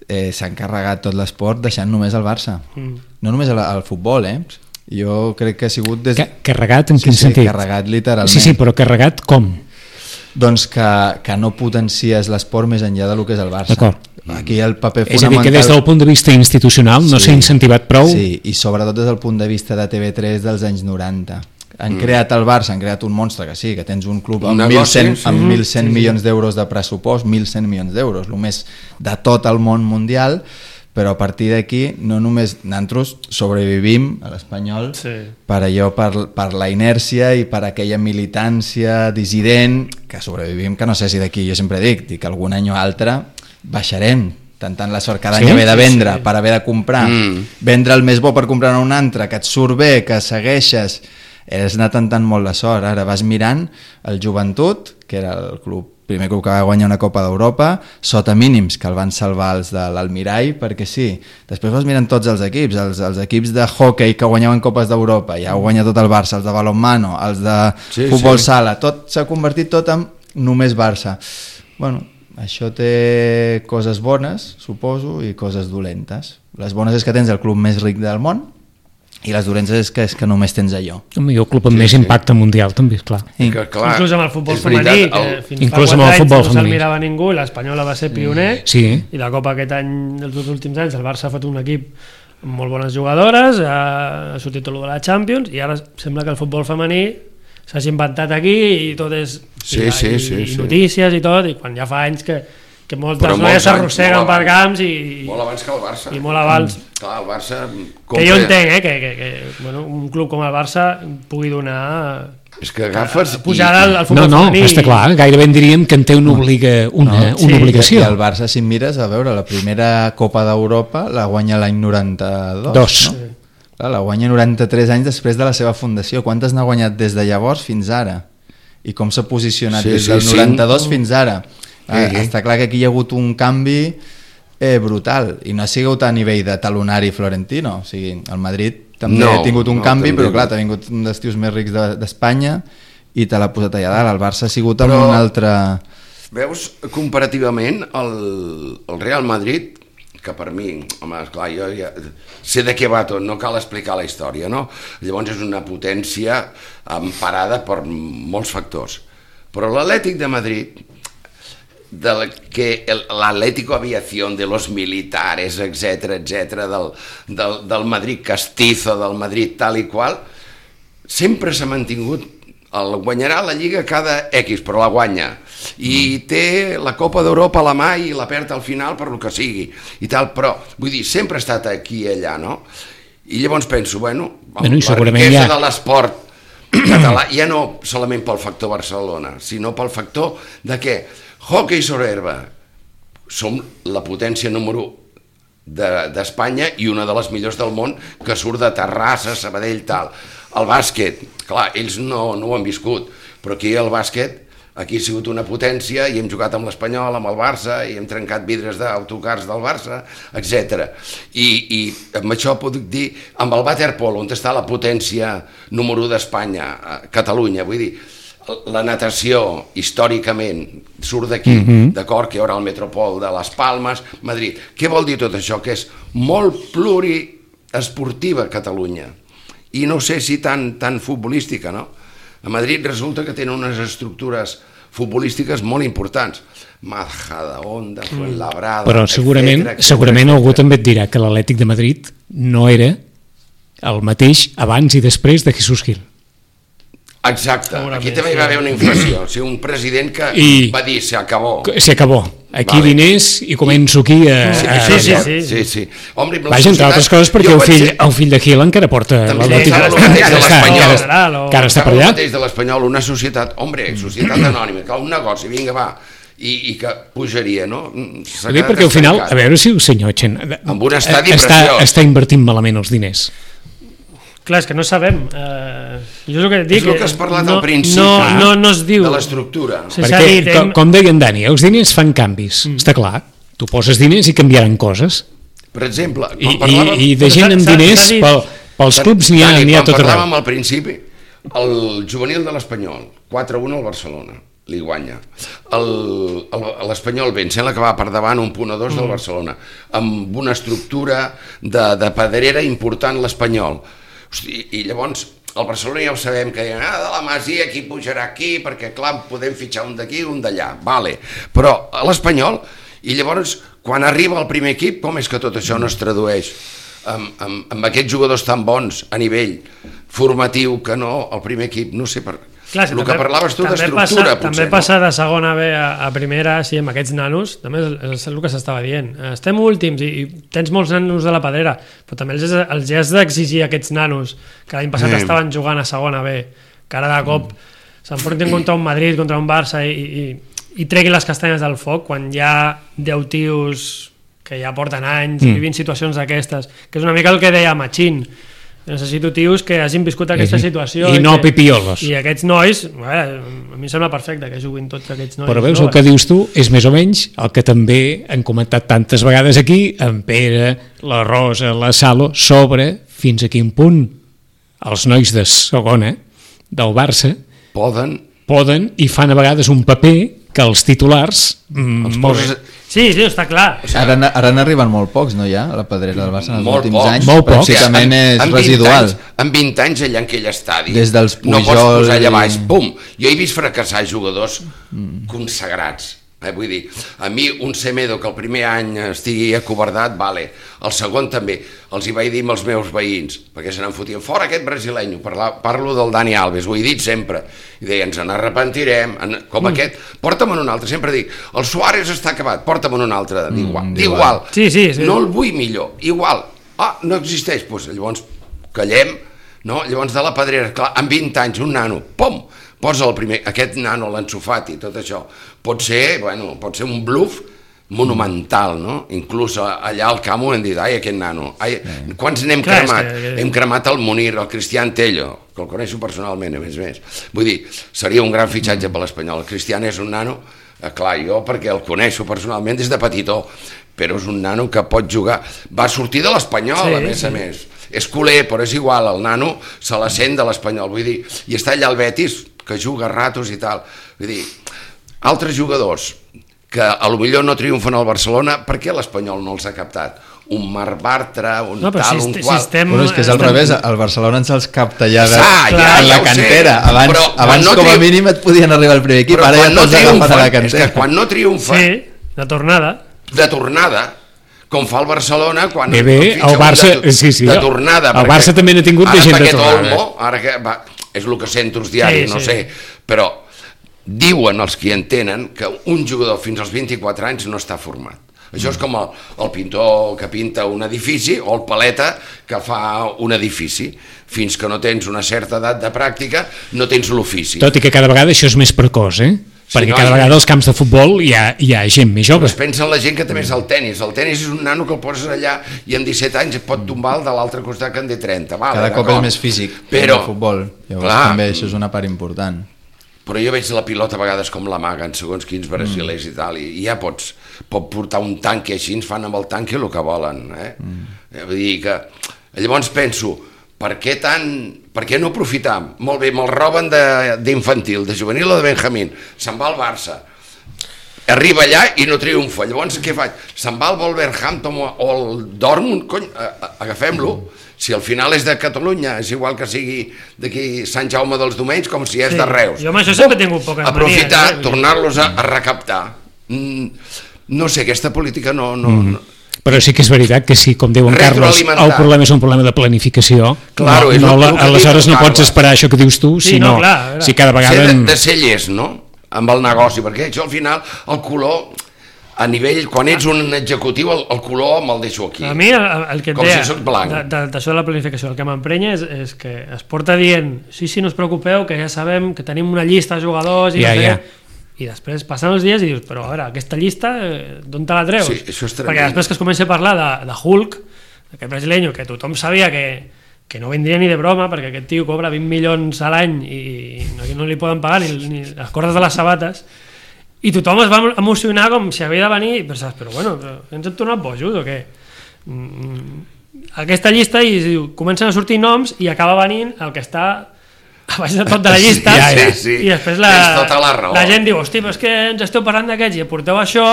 eh, s'ha encarregat tot l'esport deixant només el Barça. Mm. No només el, el futbol, eh? Jo crec que ha sigut... Des... Carregat en quin sí, sentit? Sí, carregat literalment. Sí, sí, però carregat com? Doncs que, que no potencies l'esport més enllà del que és el Barça. D'acord. Aquí el paper és fonamental... És a dir, que des del punt de vista institucional no s'ha sí, incentivat prou. Sí, i sobretot des del punt de vista de T V tres dels anys noranta. Han mm. creat el Barça, han creat un monstre, que sí, que tens un club amb mil cent, sí. amb mil cent sí, milions d'euros de pressupost, mil cent milions d'euros, el més de tot el món mundial, però a partir d'aquí no només nosaltres sobrevivim a l'Espanyol sí. per allò, per, per la inèrcia i per aquella militància dissident que sobrevivim, que no sé si d'aquí, jo sempre dic, dic que algun any o altre baixarem, tentant la sort cada sí? any haver de vendre sí. per haver de comprar, mm. vendre el més bo per comprar un altre, que et surt bé, que segueixes, has anat tentant molt la sort. Ara vas mirant el Joventut, que era el club primer club que va guanyar una Copa d'Europa, sota mínims, que el van salvar els de l'Almirall, perquè sí. Després vas mirant tots els equips, els, els equips de hockey que guanyaven Copes d'Europa, ja ho guanya tot el Barça, els de balonmano, els de sí, futbol sí. sala, tot s'ha convertit tot en només Barça. Bueno, això té coses bones, suposo, i coses dolentes. Les bones és que tens el club més ric del món, i les dolentes és que, és que només tens allò. El millor club amb sí, més sí. impacte mundial, també, clar. I, que, clar inclús amb el futbol femení, el... que fins inclús fa quatre anys no se'l femení. mirava ningú, l'Espanyola va ser pioner, sí. i la Copa aquest any, els dos últims anys, el Barça ha fet un equip amb molt bones jugadores, ha sortit tot de la Champions, i ara sembla que el futbol femení s'hagi inventat aquí, i tot és sí, i, sí, i, sí, i sí. notícies i tot, i quan ja fa anys que que moltes noies s'arrosseguen per camps i, molt abans que el Barça i molt abans mm, clar, el Barça compra... que jo entenc eh, que, que, que bueno, un club com el Barça pugui donar és que agafes pujar al, al futbol no, no, femení està clar, gairebé en diríem que en té una, obliga, una, no, una sí. obligació i el Barça, si mires, a veure, la primera Copa d'Europa la guanya l'any noranta-dos Dos. No? Sí. Clar, la guanya noranta-tres anys després de la seva fundació. Quantes n'ha guanyat des de llavors fins ara? I com s'ha posicionat sí, des del sí, noranta-dos sí. fins ara? Ah, sí. Està clar que aquí hi ha hagut un canvi eh, brutal, i no ha sigut a nivell de talonari florentino, o sigui, el Madrid també no, ha tingut un no, canvi, però clar, ha vingut un dels tios més rics d'Espanya de, i te l'ha posat allà dalt. El Barça ha sigut però, amb un altre... Veus, comparativament, el, el Real Madrid, que per mi, home, esclar, jo ja sé de què va tot, no cal explicar la història, no? Llavors és una potència emparada per molts factors. Però l'Atlètic de Madrid, del que l'Atlético Aviación de los militares, etcètera, etcètera, del, del, del Madrid castizo, del Madrid tal i qual, sempre s'ha mantingut, el guanyarà la Lliga cada X, però la guanya, i té la Copa d'Europa a la mà i la perd al final per lo que sigui, i tal, però, vull dir, sempre ha estat aquí i allà, no? I llavors penso, bueno, bueno la riquesa ja... de l'esport català, ja no solament pel factor Barcelona, sinó pel factor de què hockey sobre herba, som la potència número d'Espanya de, i una de les millors del món que surt de Terrassa, Sabadell, tal. El bàsquet, clar, ells no, no ho han viscut, però aquí el bàsquet Aquí ha sigut una potència i hem jugat amb l'Espanyol, amb el Barça, i hem trencat vidres d'autocars del Barça, etcètera. I, I amb això puc dir, amb el waterpolo, on està la potència número u d'Espanya, Catalunya, vull dir, la natació, històricament, surt d'aquí, mm-hmm. d'acord, que hi haurà el Metropol de Les Palmes, Madrid. Què vol dir tot això? Que és molt pluriesportiva Catalunya. I no sé si tan, tan futbolística, no? A Madrid resulta que tenen unes estructures futbolístiques molt importants. Majadahonda, Fuenlabrada... Però segurament, etcètera, segurament etcètera. algú també et dirà que l'Atlètic de Madrid no era el mateix abans i després de Jesús Gil. Exacte, aquí també hi va haver una inflació, o sigui, un president que I va dir se acabó. Se acabó. Aquí Vale. diners i començo aquí a... Sí, a... sí, sí, sí, sí. sí, sí. Home, la Vaja, entre societat- altres coses, perquè jo el vaig fill, ser- el fill de Gil encara porta També l'Atlètic. estava el mateix de Encara està- l'Espanyol. encara- General, o- encara està per Estava el allà. mateix de l'Espanyol, una societat, hombre, societat anònima, que un negoci, vinga, va, i, i que pujaria, no? S'ha Ho dic quedat perquè al final, estancat. a veure si el senyor Chen Amb un estadi està, preciós. està invertint malament els diners. Clar, és que no sabem. Eh, jo és el que et dic... És el que has parlat no, al principi, no, no, no es diu... de l'estructura. Sí, s'ha Perquè, dit, com, hem- com deia en Dani, els diners fan canvis, mm. està clar. Tu poses diners i canviaran coses. Per exemple, I, quan i, parlàvem... i de gent amb S'ha- s'ha diners, dit- pel, pels clubs n'hi ha, Dani, n'hi ha tot quan arreu. parlàvem al principi, el juvenil de l'Espanyol, quatre a un al Barcelona, li guanya. El- el- L'Espanyol ben, sembla que va per davant un punt o dos del Barcelona, amb una estructura de, de pedrera important l'Espanyol. Hosti, i llavors el Barcelona ja ho sabem que ah, de la Masia qui pujarà aquí perquè clar podem fitxar un d'aquí un d'allà, vale. Però a l'Espanyol, i llavors quan arriba el primer equip, com és que tot això no es tradueix amb, amb, amb aquests jugadors tan bons a nivell formatiu que no, el primer equip, no sé per... Clar, sí, el que també- parlaves tu també d'estructura, passa, potser, també no? passa de segona B a, a primera, sí, amb aquests nanos, també és, és el que s'estava dient. Estem últims i, i tens molts nanos de la pedrera, però també els, els has d'exigir a aquests nanos que l'any passat Sí. estaven jugant a segona B, que ara de cop mm. s'enfrontin contra un Madrid, contra un Barça i, i, i treguin les castanyes del foc quan hi ha deu tios que ja porten anys mm. vivint situacions d'aquestes, que és una mica el que deia Machín. Necessito tios que hagin viscut aquesta situació I no que, pipiolos. i aquests nois, bé, a mi em sembla perfecte que juguin tots aquests nois. Però veus, el que dius tu és més o menys el que també han comentat tantes vegades aquí, en Pere, la Rosa, la Salo, sobre fins a quin punt els nois de segona del Barça Poden... poden i fan a vegades un paper que els titulars... Mm, Els molt poses... bé. Sí, sí, està clar. Ara, n- ara n'arriben molt pocs, no, ja? A la pedrera del Barça en els Molt últims pocs. anys. Molt pocs. Pràcticament és En vint residual. Anys, en vint anys allà en aquell estadi Des dels no pots Pujol posar allà i- baix, bum. Jo he vist fracassar jugadors mm. consagrats. Eh, vull dir, a mi un Semedo que el primer any estigui acobardat, vale. El segon també. Els hi vaig dir amb els meus veïns, perquè se n'en fotien fora aquest brasileño. Parla, parlo del Dani Alves, ho he dit sempre. I deia, ens n'arrepentirem. En, com mm. aquest, porta'm-en un altre. Sempre dic, el Suárez està acabat, porta'm-en un altre. D'igual. Mm, d'igual. Sí, sí, sí. No el vull millor. Igual. Ah, no existeix. Pues, llavors callem, no? Llavors de la pedrera, clar, amb vint anys, un nano, pom, posa el primer, aquest nano, l'Ansu Fati, tot això, pot ser, bueno, pot ser un bluff monumental, no? Inclús allà al camp ho hem dit, ai, aquest nano, ai, quants n'hem Clar, és cremat? que- Hem cremat el Munir, el Cristian Tello, que el coneixo personalment, a més a més. Vull dir, seria un gran fitxatge per l'Espanyol. El Cristian és un nano, eh, clar, jo perquè el coneixo personalment des de petitó, però és un nano que pot jugar. Va sortir de l'Espanyol, Sí, a més sí. a més. És culer, però és igual, el nano se la sent de l'Espanyol, vull dir, i està allà al Betis, que juga a ratos i tal. Vull dir, altres jugadors que a lo millor no triomfen al Barcelona, per què l'Espanyol no els ha captat? Un Marc Bartra, un No, però tal, si, un est- si qual... estem... Bueno, és que és al estem- revés, al Barcelona ens els capta ja, de, Ah, ja, en ja la ho sé, cantera. Abans, però quan abans no com a triom- mínim et podien arribar al primer equip, Però ara ja quan no te'ls agafen a la triomfen, és cantera. que quan no triomfen, Sí, de tornada. de tornada, com fa el Barcelona quan Bé, bé, fitxa el un Barça- de, sí, sí, de el- tornada, el perquè Barça també n'ha tingut de ara gent de aquest tornada. Olmo, ara que va, és el que sento els diaris, Sí, no sí. sé, però diuen els que hi entenen que un jugador fins als vint-i-quatre anys no està format. Això és com el, el pintor que pinta un edifici o el paleta que fa un edifici. Fins que no tens una certa edat de pràctica, no tens l'ofici. Tot i que cada vegada això és més precoç, eh? Sí, Perquè no, cada i- vegada als camps de futbol hi ha, hi ha gent més jove. Es pensa en la gent que també és el tennis. El tennis és un nano que el poses allà i amb disset anys et pot tombar el de l'altre costat que en té trenta. Vale, Cada cop d'acord. és més físic Però, el futbol. Llavors clar, també això és una part important. però jo veig la pilota a vegades com l'amaguen segons quins brasilers mm. i tal, i ja pots pot portar un tanque així, ens fan amb el tanque el que volen, eh? Mm. Vull dir que llavors penso, per què tant, per què no aprofitar? Molt bé, me'l roben d'infantil, de, de juvenil o de Benjamín, se'n va al Barça, arriba allà i no triomfa, llavors què faig? Se'n va al Wolverhampton o al Dortmund, cony, agafem-lo, si al final és de Catalunya, és igual que sigui d'aquí Sant Jaume dels Domenys com si és sí. de Reus. Jo amb això sempre he tingut poques manies. Aprofitar, eh? tornar-los a, a recaptar. Mm, no sé, aquesta política no... no, mm. no però sí que és veritat que sí, com diu en Carles, el problema és un problema de planificació. Claro, no, no, la, aleshores no pots Carles. esperar això que dius tu, sí, sinó no, clar, si cada vegada... Ser de, de ser llest, no?, amb el negoci, perquè això al final, el color, a nivell, quan ets un executiu, el, el color me'l deixo aquí. A mi el, el que et com deia, si soc blanc. d'això de, de la planificació, el que m'emprenya és, és que es porta dient, sí, sí, no us preocupeu, que ja sabem que tenim una llista de jugadors i ja, no sé ja. què. I després passen els dies i dius, però a veure, aquesta llista, d'on te la treus? Sí, això és tremend. Perquè després que es comença a parlar de, de Hulk, aquest brasileño, que tothom sabia que, que no vendria ni de broma, perquè aquest tio cobra vint milions a l'any i no, no li poden pagar ni, ni les cordes de les sabates, i tothom es va emocionar com si havia de venir, i pensaves, però bueno, però ens hem tornat bojos o què? Mm, aquesta llista, i diu, comencen a sortir noms i acaba venint el que està a baix de tot de la llista, sí, sí, sí. i després la, tota la, raó. la gent diu, hosti, però és que ens esteu parlant d'aquests i aporteu això,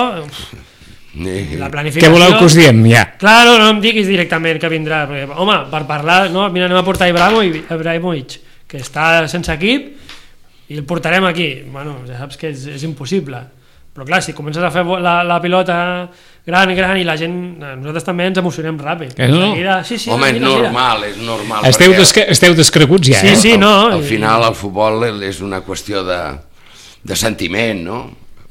la planificació... Què voleu que us diem, ja? Claro, no em diguis directament que vindrà, perquè, home, per parlar, no, mira, anem a portar Ibrahimovic, que està sense equip, i el portarem aquí. Bueno, ja saps que és, és impossible. Però clar, si comences a fer la, la pilota gran, gran, i la gent, nosaltres també ens emocionem ràpid. Eh, no? Seguida, sí, sí, home, és mira, normal, és normal. Esteu, desca esteu descreguts ja, sí, eh? Sí, no. Al, al final el futbol és una qüestió de, de sentiment, no?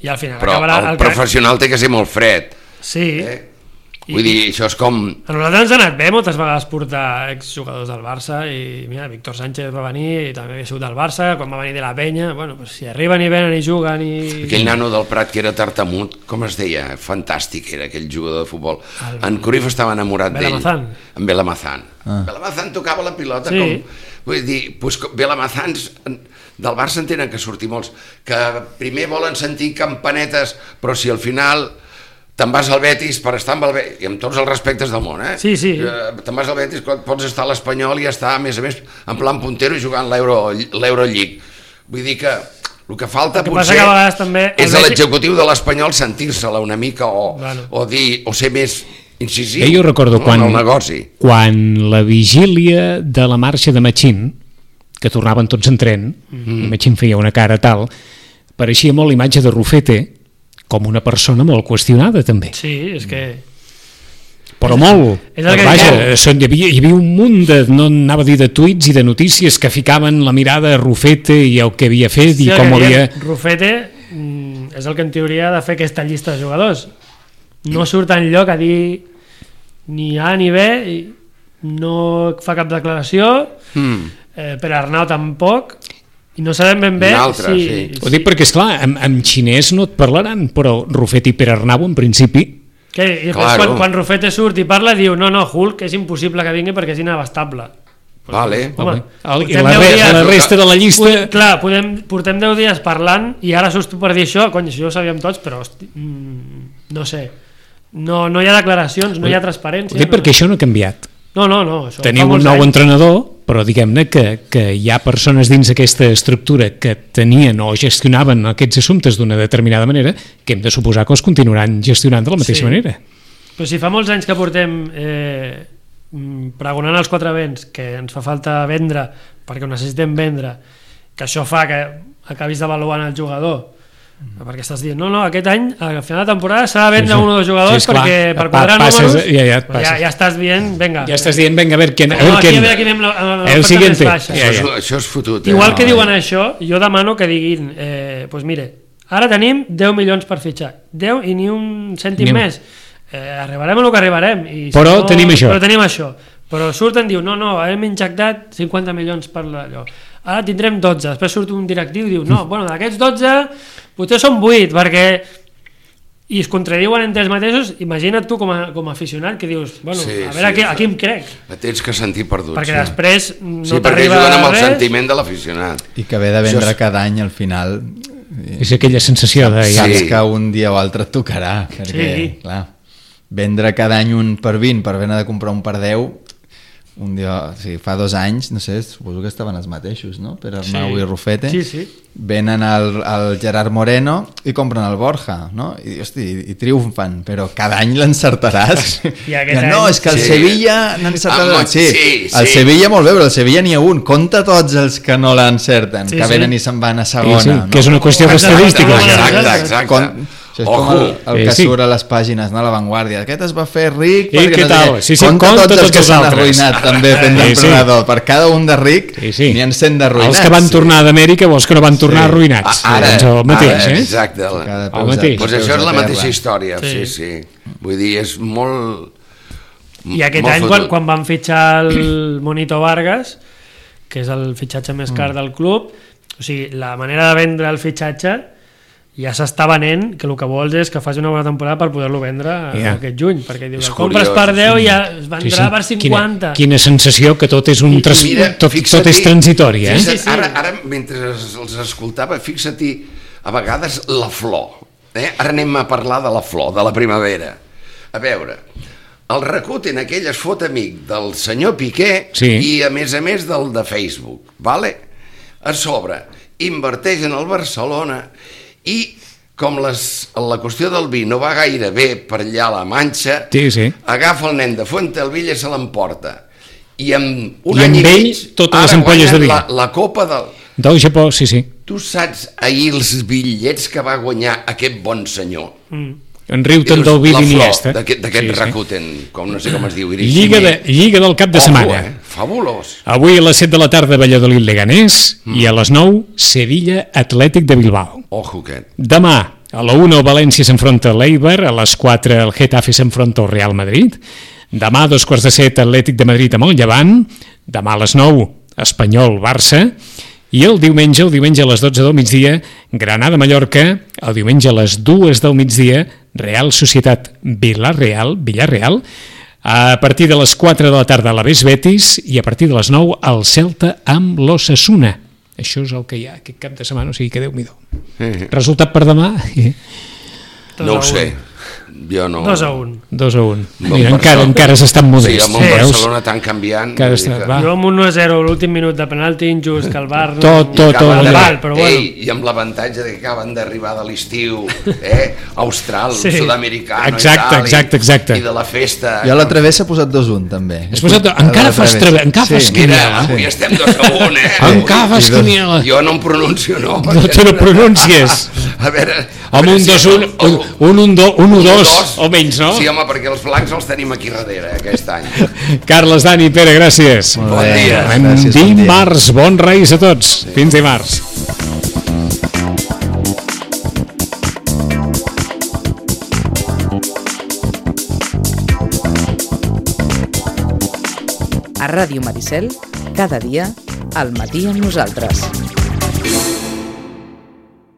I al final però acabarà... el, el professional té que ser molt fred. Sí. Eh? Vull dir, això és com... A nosaltres ens ha anat bé moltes vegades portar exjugadors del Barça, i mira, Víctor Sánchez va venir i també havia sigut del Barça, quan va venir de la Penya, bueno, pues si arriben i venen i juguen i... Aquell nano del Prat que era tartamut, com es deia? Fantàstic era aquell jugador de futbol. El... En Cruyff estava enamorat d'ell. Belamazán. En Belamazán. Ah. Belamazán tocava la pilota sí. com... Vull dir, pues, Belamazans del Barça en tenen que sortir molts, que primer volen sentir campanetes, però si al final... te'n vas al Betis per estar amb el Betis, i amb tots els respectes del món, eh? Sí, sí. Te'n vas al Betis, pots estar a l'Espanyol i estar, a més a més, en plan puntero i jugant l'Euroleague. Vull dir que el que falta el que potser que també és a l'executiu de l'Espanyol sentir-se-la una mica o, bueno. o dir, o ser més incisiu, jo recordo no, quan, en el negoci. Quan la vigília de la marxa de Machín, que tornaven tots en tren, mm-hmm. i Machín feia una cara tal, pareixia molt l'imatge de Rufete, com una persona molt qüestionada també. Sí, és que... Però molt. És el que Vaja, hi havia, hi havia un munt de, no anava a dir de tuits i de notícies que ficaven la mirada a Rufete i el que havia fet sí, i com havia... Rufete mm, és el que en teoria ha de fer aquesta llista de jugadors. No surt enlloc a dir ni A ni B, no fa cap declaració, mm. eh, per Arnau tampoc... I no sabem ben bé altre, si... sí. Ho dic perquè, esclar, en, en xinès no et parlaran, però Rufete i Pere Arnau, en principi... Que, I després, claro. quan, quan Rufete surt i parla, diu, no, no, Hulk és impossible que vingui perquè és inabastable. Vale. Home, el, I la, re, dies, la resta de la llista... Podem, clar, podem, portem deu dies parlant i ara surts tu per dir això, cony, això ho sabíem tots, però, hosti, mm, no sé, no, no hi ha declaracions, no hi ha transparència. Ho dic perquè no... això no ha canviat. No, no, no. Això Teniu un nou anys. entrenador, però diguem-ne que, que hi ha persones dins aquesta estructura que tenien o gestionaven aquests assumptes d'una determinada manera que hem de suposar que els continuaran gestionant de la mateixa sí. manera. Però si fa molts anys que portem eh, pregonant els quatre vents que ens fa falta vendre perquè ho necessitem vendre, que això fa que acabis devaluant el jugador, perquè estàs dient, no, no, aquest any al final de temporada s'ha de vendre sí, sí. un o dos jugadors sí, perquè per quadrar números ja, ja, ja, ja estàs dient, venga ja estàs dient, venga, a veure quién, no, a ver quién. Aquí, a veure qui anem la, la, la el siguiente ja, ja. Això, això és fotut eh? Igual que no, diuen ja. això, jo demano que diguin eh, pues mire, ara tenim deu milions per fitxar, deu i ni un cèntim ni més eh, arribarem a el que arribarem i si però, no, tenim això. però tenim això però surten, diu, no, no, hem injectat cinquanta milions per allò, ara tindrem dotze, després surt un directiu i diu, no, bueno, d'aquests dotze potser són vuit, perquè i es contradiuen entre ells mateixos. Imagina't tu com a, com a aficionat que dius, bueno, Sí, a veure sí, a, qui, a sí. qui em crec, Et tens que sentir perdut. perquè sí. després no Sí, perquè t'arriba juguen amb el res. sentiment de l'aficionat. I que ve de vendre Això és- cada any al final És aquella sensació de... Sí. saps que un dia o altre et tocarà, perquè, Sí. clar, vendre cada any un per vint per haver de comprar un per deu, un dia, o sigui, fa dos anys, no sé, suposo que estaven els mateixos, no? Per Arnau Sí. i Rufete. Sí, sí. Venen el, el Gerard Moreno i compren el Borja, no? I, hosti, i triomfen, però cada any l'encertaràs. I aquest no, any- és que el Sí. Sevilla n'ha encertat... Ah, sí, sí, el sí. Sevilla molt bé, però el Sevilla n'hi ha un. Compta tots els que no l'encerten, Sí, que sí. venen i se'n van a Sí, segona. sí, no? que és una qüestió d'estadística. Exacte, això. Exacte, exacte. Con... Això és com Ojo. el, el que Eh, sí. surt a les pàgines, no? A l'avantguàrdia. Aquest es va fer ric I perquè què no sé tal? què. Sí, sí, compta compta tots els tots que els s'han altres. arruïnat també fent Sí, sí. d'emprenedor. Per cada un de ric Sí, sí. n'hi ha cent d'arruïnats. Els que van tornar d'Amèrica o els que no van tornar Sí. arruïnats. A- Ara, Doncs el mateix, ara, eh? exacte. Cada El peus a- mateix. Pues peus això és a la terra. mateixa història, sí, Sí. sí. Vull dir, és molt... I aquest molt any, fotut. quan, quan van fitxar el Monito Vargas, que és el fitxatge més car del club, o sigui, la manera de vendre el fitxatge ja s'està venent, que el que vols és que faci una bona temporada per poder-lo vendre Ja. aquest juny, perquè dius, És el compres curiós, per deu i ja es Sí, vendrà sí. per cinquanta. Quina, quina sensació que tot és un tras... Mira, tot, tot fixa-t'hi- és transitori, eh? fixa't, Sí, sí. Ara, ara, mentre els escoltava, fixa-t'hi a vegades la flor. Eh? Ara anem a parlar de la flor, de la primavera. A veure, el Rakuten aquell es fot amic del senyor Piqué Sí. i a més a més del de Facebook, vale? A sobre, inverteix en el Barcelona i com les, la qüestió del vi no va gaire bé per allà a la Manxa, Sí, sí. agafa el nen de Fuentelvilla i se l'emporta. I amb un I any amb i ell, mig, totes les ara ampolles de guanyen vi. La, la Copa del... Del Japó, sí, sí. Tu saps ahir els bitllets que va guanyar aquest bon senyor? En riu I tant dius, del vi la flor d'Iniesta. d'aquest d'aquest Sí, sí. Rakuten, com no sé com es diu. Lliga, de, Lliga del cap de Ojo, setmana. eh? Fabulós. Avui a les set de la tarda Valladolid Leganés Mm. i a les nou Sevilla Atlètic de Bilbao. Ojo aquest. Demà a la una el València s'enfronta a l'Eibar, a les quatre el Getafe s'enfronta al Real Madrid, demà a dos quarts de set Atlètic de Madrid amb el Llevant, demà a les nou Espanyol-Barça i el diumenge, el diumenge a les dotze del migdia Granada-Mallorca, el diumenge a les dues del migdia Real Societat Villarreal, Villarreal, a partir de les quatre de la tarda l'Alavés Betis i a partir de les nou el Celta amb l'Osasuna. Això és el que hi ha aquest cap de setmana, o sigui que Déu-n'hi-do. Eh, Resultat per demà? Dos No a ho sé. un. Jo no... dos a un. dos a un. Bon Mira, encara, Barcelona. encara s'estan Sí, modest. amb el veus? Barcelona tan canviant... Encara vull dir està- que- va. Jo amb un u a zero l'últim minut de penalti injust que el Bar... Tot, tot, Acaben tot. de- Val, però bueno. Ei, i amb l'avantatge de que acaben d'arribar de l'estiu, eh? Austral, Sí. sud-americano Exacte, i tal, i- exacte, exacte. i de la festa. Jo a la Travessa he posat dos un també. Has posat- encara fas trave- encara fas Mira, quiniela. avui estem dos a un, eh? Encara fas I dos- quiniela. Jo no em pronuncio, no. No te lo pronuncies. A veure... a Home, veure un si dos, el- un, el- un, un, do, un, un, un dos, o menys, no? Sí, home, perquè els blancs els tenim aquí darrere, eh, aquest any. Carles, Dani, Pere, gràcies. Molt Bon bé, dia. En gràcies, bon dia. dimarts, bons reis a tots. Fins dimarts. A Ràdio Maricel, cada dia, al matí amb nosaltres.